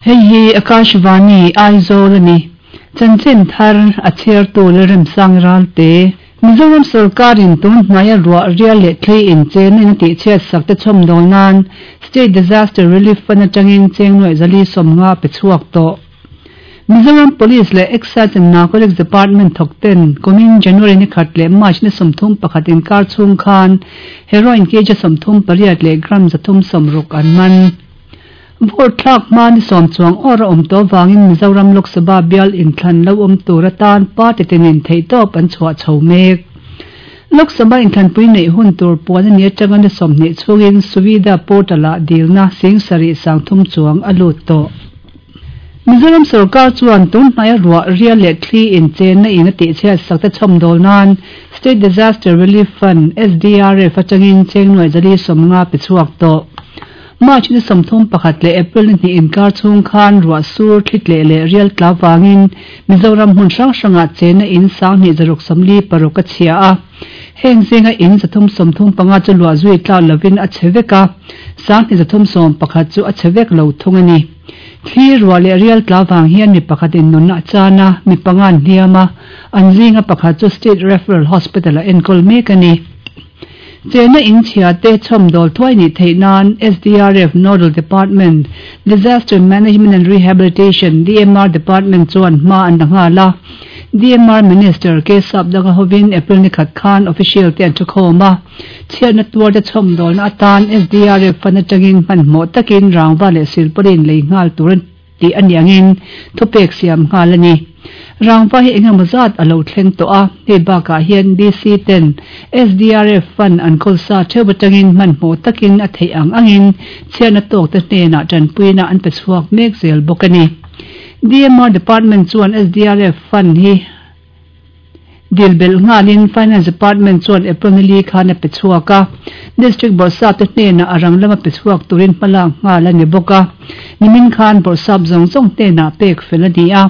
Hei hi Akashvani, Aizawl a ni. Chanchin thar a chhiartu Lalremsang Ralte. Mizoram sorkarin tun hnaia ruah rial leh thli inchen in a tihchhiat sak te chhawmdawl nan State Disaster Relief Fund atangin cheng nuaih zali 50 pe chhuak tawh. Mizoram Police leh Excise and Narcotics Department thawk ten kumin January ni khat leh March ni 31 inkar chhung khan heroin kg 38 leh gram 360 an man. Vote thlak hma ni sawm chuang awr a awm tawh avangin Mizoram Lok Sabha bial inthlan lo awm tur atan party tinin theihtawp an chhuah chho mek. Lok Sabha inthlanpui neih hun tur puan a ni atanga ni 20 chhungin Suvidha portal-ah dilna sing sarih 3000 chuang a lut tawh. Mizoram sorkar chuan tun hnaia ruah rial leh thli inchenna in a tihchhiat sak te chhawmdawl nan State Disaster Relief Fund, SDRF, atangin cheng nuaih zali 50 pe chhuak tawh. March ni 31 leh April ni 2 inkar chhung khan ruah sur thli tleh leh rial tla vangin Mizoram hmun hrang hrangah chenna in 2646 a chhia a. Heng zinga in 335 chu luah zui tlak lovin a chhe vek a, 2311 chu a chhe vek lo thung a ni. Thli ruah leh rial tla vang hian mi pakhatin nunna a chan a, mi panga an hliam a, an zinga pakhat chu State Referral Hospital-ah enkawl mek a ni. Chenna in chhia te chhawmdawl thuai nih theih nan SDRF Nodal Department, Disaster Management and Rehabilitation, DMR, Department chuan hma an la nghal a. DMR Minister K Sapdanga hovin April ni khat khan official te an thukhawm a. Chhiatna tuar te chhawmdawlna atan SDRF fund atangin hmanhmawh takin rangva leh silpawlin lei nghal tur tih a ni angin thupek siam nghal a ni. Rangva hi engemaw zat a lo thleng tawh a, hei bakah hian DC ten SDRF fund an kawl sa theuh atangin hmanhmawh takin a theih ang angin chhiatna tawk te hnenah tanpuina an pe chhuak mek zel bawk a ni. DMR Department chuan SDRF fund hi dil belh nghalin Finance Department chuan April ni li khan a pe chhuak a. District Bawrhsap te hnenah a rang lama pe chhuak turin hmalak nghal a ni bawk a. Nimin khan Bawrhsap zawng zawng hnenah pek fel a ni a.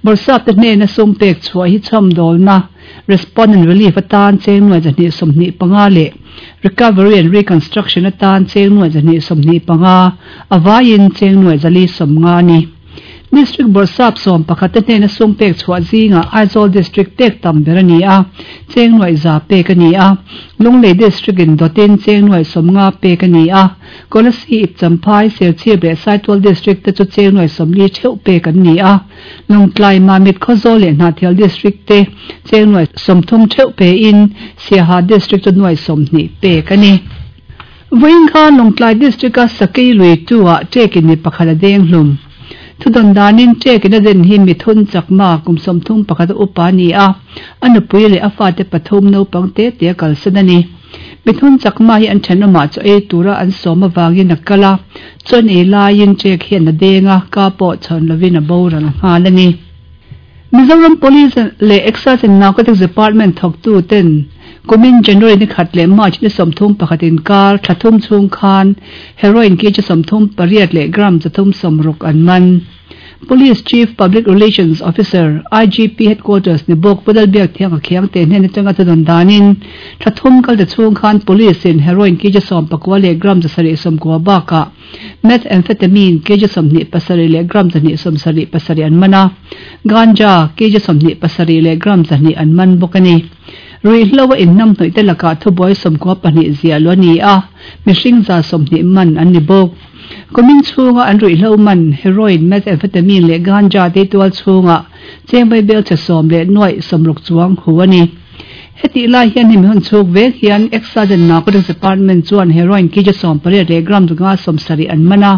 Bawrhsap te hnena sum pek chhuah hi chhawmdawlna, Response and Relief atan cheng nuaih 225 leh Recovery and Reconstruction atan cheng nuaih 225, a vaiin cheng nuaih 450 a ni. District Bawrhsap 11 te hnena sum pek chhuah zingah Aizawl District pek tam ber a ni a, cheng nuaih za pek a ni a. Lunglei District in dawtin cheng nuaih 50 pek a ni a. Kolasib, Champhai, Serchhip leh Saitual District te chu cheng nuaih 40 theuh pek an ni a. Lawngtlai, Mamit, Khawzawl leh Hnahthial District te cheng nuaih 30 theuh pein Siaha District chu nuaih 20 pek a ni. Vawiin khan Lawngtlai District-a Sakei lui tu-ah ṭekin mi pakhat a deng hlum. Thudawn danin ṭekin a den hi Mithun Chakma kum 31 a upa a ni a, a nupui leh a fate pathum naupang te te a kalsan a ni. Mithun Chakma hi an ṭhenawmah chaw ei tura an sawm avangin a kal a, chaw ei laiin ṭek hian a deng a, ka pawh chhawn lovin a boral nghal a ni. Mizoram Police leh Excise and Narcotics Department thawktu ten kumin January ni khat leh March ni 31 inkar thla thum chhung khan heroin kg 38 leh gram 360 an man. Police Chief Public Relations Officer, IGP Headquarters ni bawk Pu Lalbiakthiang a khiang te hnen atanga thudawn danin thla thum kal ta chhung khan Police in heroin kg 19 leh gram 790 bakah Methamphetamine kg 27 leh gram 277 an man a, ganja kg 27 leh gram 200 an man bawk a ni. Ruihhlo a inhnamhnawih te lakah thubuai 92 ziah luh a ni a, mihring 120 man an ni bawk. Kumin chhunga an ruihhlo man heroin, methamphetamine leh ganja te tual chhungah cheng vaibel chhe sawm leh nuaih 60 chuang hu a ni. Hetih lai hian hemi hun chhuk vek hian Excise and Narcotics Department chuan heroin kg 18 leh gram 570 an man a.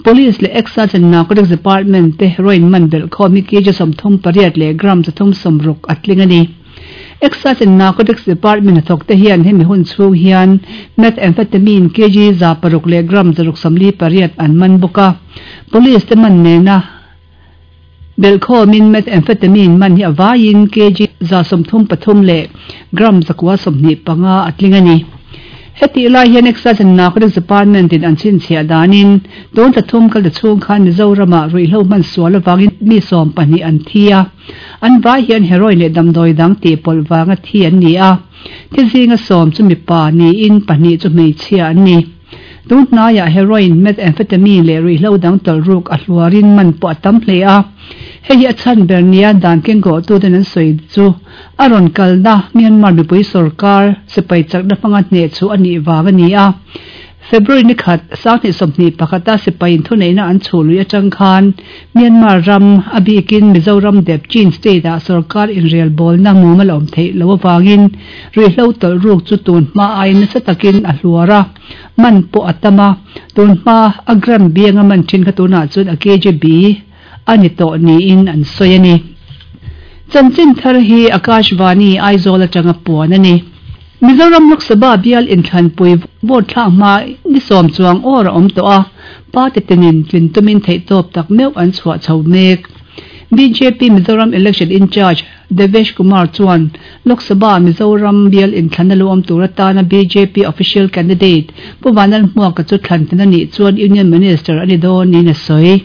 Police leh Excise and Narcotics Department te heroin man belh khawm hi kg 38 leh gram 360 a tling a ni. Excise and Narcotics Department hnathawk te hian hemi hun chhung hian methamphetamine kg 600 leh gram 648 an man bawk a. Police te man nena Belhkhawmin methamphetamine man hi a vaiin kg 133 leh gram 925 a tling a ni. Hetih lai hian Excise and Narcotics Department in an chhinchhiah danin tun thla thum kal ta chhung khan Mizoramah ruihhlo hman sual avangin mi 12 an thi a, an vai hian heroin leh damdawi dang tih pawlh vanga thi an ni a, thi zinga 10 chu mipa niin pahnih chu hmeichhia an ni. Tun hnaiah heroin, methamphetamine leh ruihhlo dang tawlh ruk a hluarin man pawh a tam hle a. Hei hi a chhan ber nia dan kengkawhtuten an sawi chu a rawn kalna Myanmar mipui sorkar sipai chakna hmanga hneh chhuh a nih vang a ni a. February ni khat, 2021 a sipaiin thuneihna an chhuh lui atang khan Myanmar ram, a bikin Mizoram dep Chin state ah sorkar inrelbawlna mumal a awm theih loh avangin ruihhlo tawlh ruk chu tun hma aiin nasa takin a hluar a, man pawh a tam a, tun hma a gram bianga man thin kha tunah chuan a kgb a ni tawh niin an sawi a ni. Chanchin thar hi Akashvani, Aizawl atanga puan a ni. Mizoram Lok Sabha bial inthlanpui vote thlak hma ni sawm chuang awr a awm tawh a, party tinin tlin tumin theihtawp tak meuh an chhuah chho mek. Bjp Mizoram Election In-charge Devesh Kumar chuan Lok Sabha Mizoram bial inthlanna lo awm tur atana bjp official candidate Pu Vanlalhmuaka chu thlan a nih chuan Union Minister a ni dawn niin a sawi.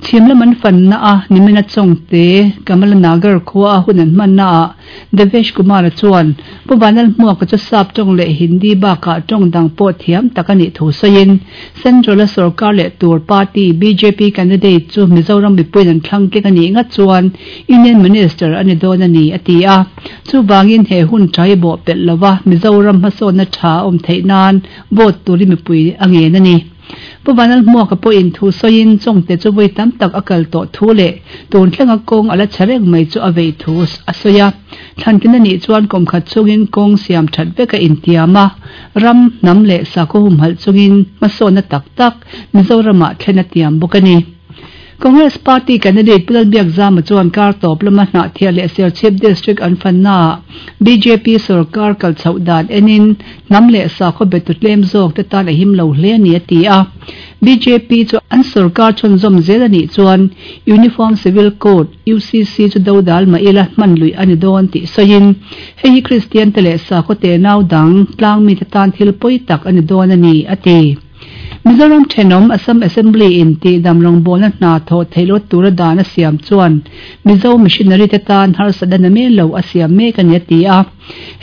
Chhim lam an fanna a nimina Chawngte, Kamala Nagar khua a hun an hmanna ah Devesh Kumar-a chuan Pu Vanlalhmuaka chu Sap tawng leh Hindi bakah tawng dang pawh thiam tak a nih thu sawiin Central-a sorkar leh tur party bjp candidate chu Mizoram mipuiin an thlang tling a nih ngat chuan Union Minister a ni dawn a ni a ti a. Chuvangin he hun tha hi bawh pelh lova Mizoram hmasawnna tha a awm theih nan vote turin mipui a ngen a ni. Pu Vanlalhmuaka pawhin thu sawiin Chawngte chu vawi tam tak a kal tawh thu leh tun thlenga kawng a la chhe reng mai chu a vei thu a sawi a. Thlantin a nih chuan kum khat chungin kawng siam that vek a intiam a, ram, hnam leh sakhaw humhalh chungin hmasawnna tak tak Mizoramah thlen a tiam bawk a ni. Congress Party candidate Pu Lalbiakzama chuan kar tawp lama Hnahthial leh Serchhip District an fannaah bjp sorkar kal chhoh dan enin hnam leh sakhaw betu tlem zawk te tan a him lo hle a ni a ti a. Bjp chu an sorkar chhunzawm zel a nih chuan Uniform Civil Code, UCC, chu dodal mah ila hman luih a ni dawn tih sawiin hei hi Kristian te leh sakhaw tenau dang tlangmite tan thil pawi tak a ni dawn a ni a ti. Mizoram thenawm Assam Assembly in tihdam rawngbawlna hna thawh theih loh tura dan a siam chuan Mizo missionary te tan harsatna na men lo a siam mek a ni a ti a.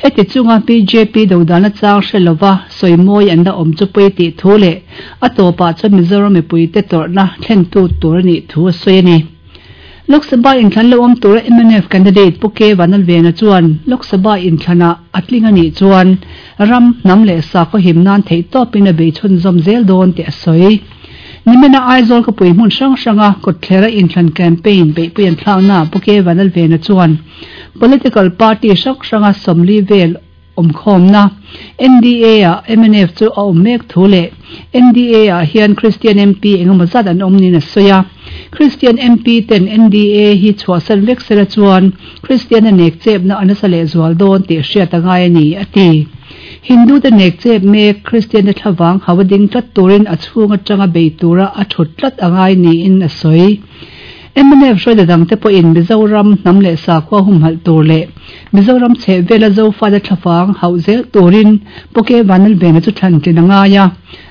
Heti chunga bjp dodalna chang hre lova sawimawi an la awm chu pawi tih thu leh a tawpah chuan Mizoram mipuite tawrhna thlentu tur a nih thu a sawi a ni. Lok Sabha inthlan lo awm tura mnf candidate Pu K Vanlalvena chuan Lok Sabha inthlanah a tling a nih chuan ram, hnam leh sakhaw him nan theihtawpin a bei chhunzawm zel dawn tih a sawi. Nimina Aizawl khawpui hmun hrang hranga kawtthlera inthlan campaign beihpui an thlaknaah Pu K Vanlalvena chuan political party hrang hranga 40 vel awmkhawmna NDA-ah mnf chu a awm mek thu leh NDA-ah hian Kristian MP engemaw zat an awm niin a sawi a. Kristian MP ten NDA hi chhuahsan vek sela chuan Kristian-a nek chepna a nasa lehzual dawn tih hriat a ngai a ni, a ti. Hindu-te nek chep mek Kristian-te thlavang hau a ding tlat turin a chhung atanga bei tura a thut tlat a ngai niin a sawi. Mnf hruaita dangte pawhin Mizoram hnam leh sakhua humhalh tur leh Mizoram chheh vela Zofate thlafang hauh zel turin Pu K Vanlalvena chu thlan tlin a ngai a,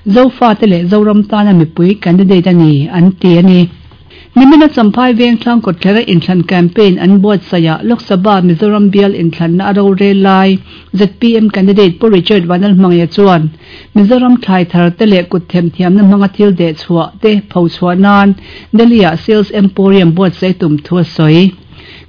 Zofate leh Zoram tana mipui candidate a ni, an ti a ni. Nimina Champhai Vengthlang kawtthler a inthlan campaign an buatsaihah Lok Sabha Mizoram bial inthlanna a rorel lai zpm candidate Pu Richard Vanlalhmangaia chuan Mizoram thlai thar te leh kut themthiamna hmanga thil deh chhuah te pho chhuah nan Delhi-ah Sales Emporium buatsaih tum thu a sawi.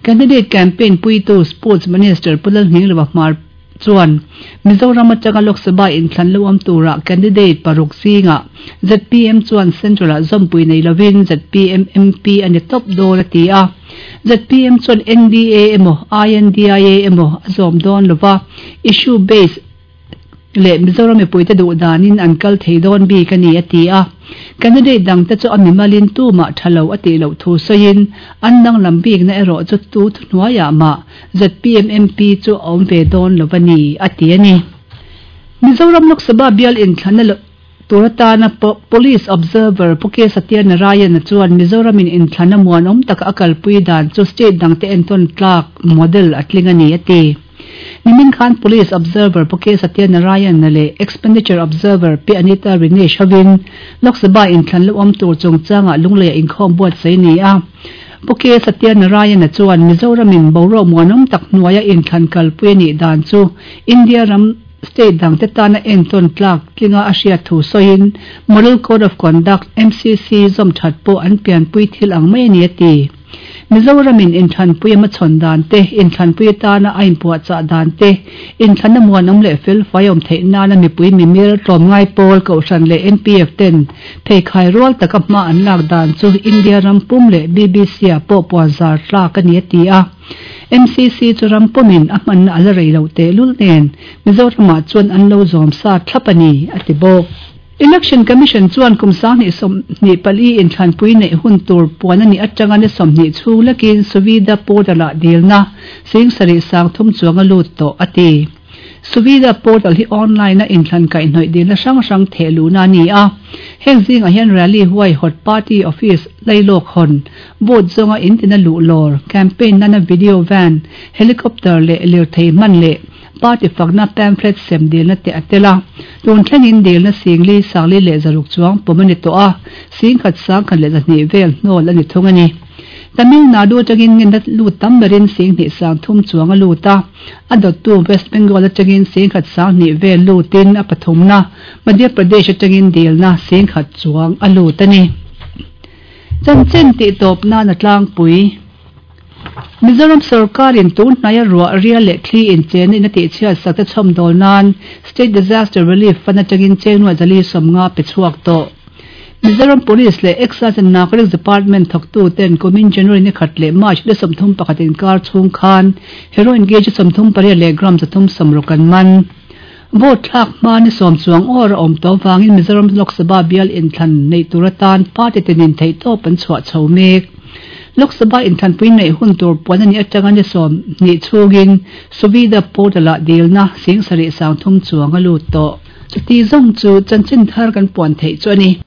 Candidate campaign puitu Sports Minister Pu Lalhninglova Hmar chuan Mizoram atanga Lok Sabha inthlan lo awm turah candidate paruk zingah zpm chuan Central-ah zawmpui nei lovin zpm MP a ni tawp dawn a ti a. Zpm chuan NDA emaw INDIA emaw a zawm dawn lova, issue based leh Mizoram mipuite duh danin an kal thei dawn bik a ni a ti a. Candidate dangte chu a mimalin tumah tha lo a tih loh thu sawiin an danglam bikna erawh chu tu thuhnuaiah mah zpm MP chu a awm ve dawn lo a ni a ti a ni. Mizoram Lok Sabha bial inthlanna tur atana Police Observer Pu K Satya Narayana chuan Mizoramin inthlanna muanawm taka a kalpui dan chu state dangte entawn tlak model a tling a ni a ti. Nimin khan Police Observer Pu K Satya Narayana leh Expenditure Observer Pi Anita Rinesh hovin Lok Sabha inthlan lo awm tur chungchangah Lungleiah inkhawm buatsaih a ni a. Pu K Satya Narayana chuan Mizoramin boruak muanawm tak hnuaia inthlan kalpui a nih dan chu India ram. state dangte tana entawn tlak tlinga a hriat thu sawiin Model Code of Conduct, MCC, zawm that pawh an pianpui thil ang mai a ni a ti. Mizoramin inthlanpui a hmachhawn dan te, inthlanpui atana a inpuahchah dan te, inthlanna muanawm leh felfai a awm theih nana mipui mimir, tlawmngai pawl, Kohhran leh NPF ten pheikhai rual taka hma an lak dan chu India ram pum leh BBC-ah pawh puanzar tlak a ni a ti a. MCC chu ram pumin a hmanna a la rei loh tehlul nen Mizoramah chuan an lo zawm sa thlap a ni, a ti bawk. Election Commission chuan kum 2024 inthlanpui neih hun tur puan a nih atanga ni 20 chhung lekin Suvidha Portal-ah dilna 70,030 chuang a lut tawh, a ti. Suvidha Portal hi online-a inthlan kaihhnawih dilna hrang hrang theh luhna a ni a. Heng zingah hian rally huaihawt, party office lailawk hawn, vote zawnga intina luh lawr, campaign nana video van, helicopter leh lirthei hman leh Party fakna pamphlet sem dilna te a tel a, tun thlengin dilna 40 406 chuang pawm a ni tawh a, 10,000 102 vel hnawl a ni thung a ni. Tamil Nadu atangin ngenna lut tam berin 2,300 chuang a lut a, a dawttu West Bengal atangin 10,000 vel lutin a pathumna Madhya Pradesh atangin dilna 10,000 chuang a lut a ni. Chanchin tihtawp nan a tlangpui. Mizoram sorkarin tun hnaia ruah rial leh thli inchena in a tihchhiat sak te chhawmdawl nan State Disaster Relief Fund atangin chengnuah zali 50 pe chhuak tawh. Mizoram Police leh Excise and Narcotics Department thawktu ten kumin January ni khat leh March ni 31 inkar chhung khan Heroin kg 38 leh gram 360 an man. Vote thlak hma ni sawm chuang awr a awm tawh avangin Mizoram Lok Sabha bial inthlan neih tur atan party tinin theihtawp an chhuah chho mek. Lok Sabha inthlanpui neih hun tur puan a nih atanga ni 20 chhungin Suvidha Portal-ah dilna 7,300 chuang a lut tawh. Chuti zawng chu chanchin thar kan puan theih chu a ni.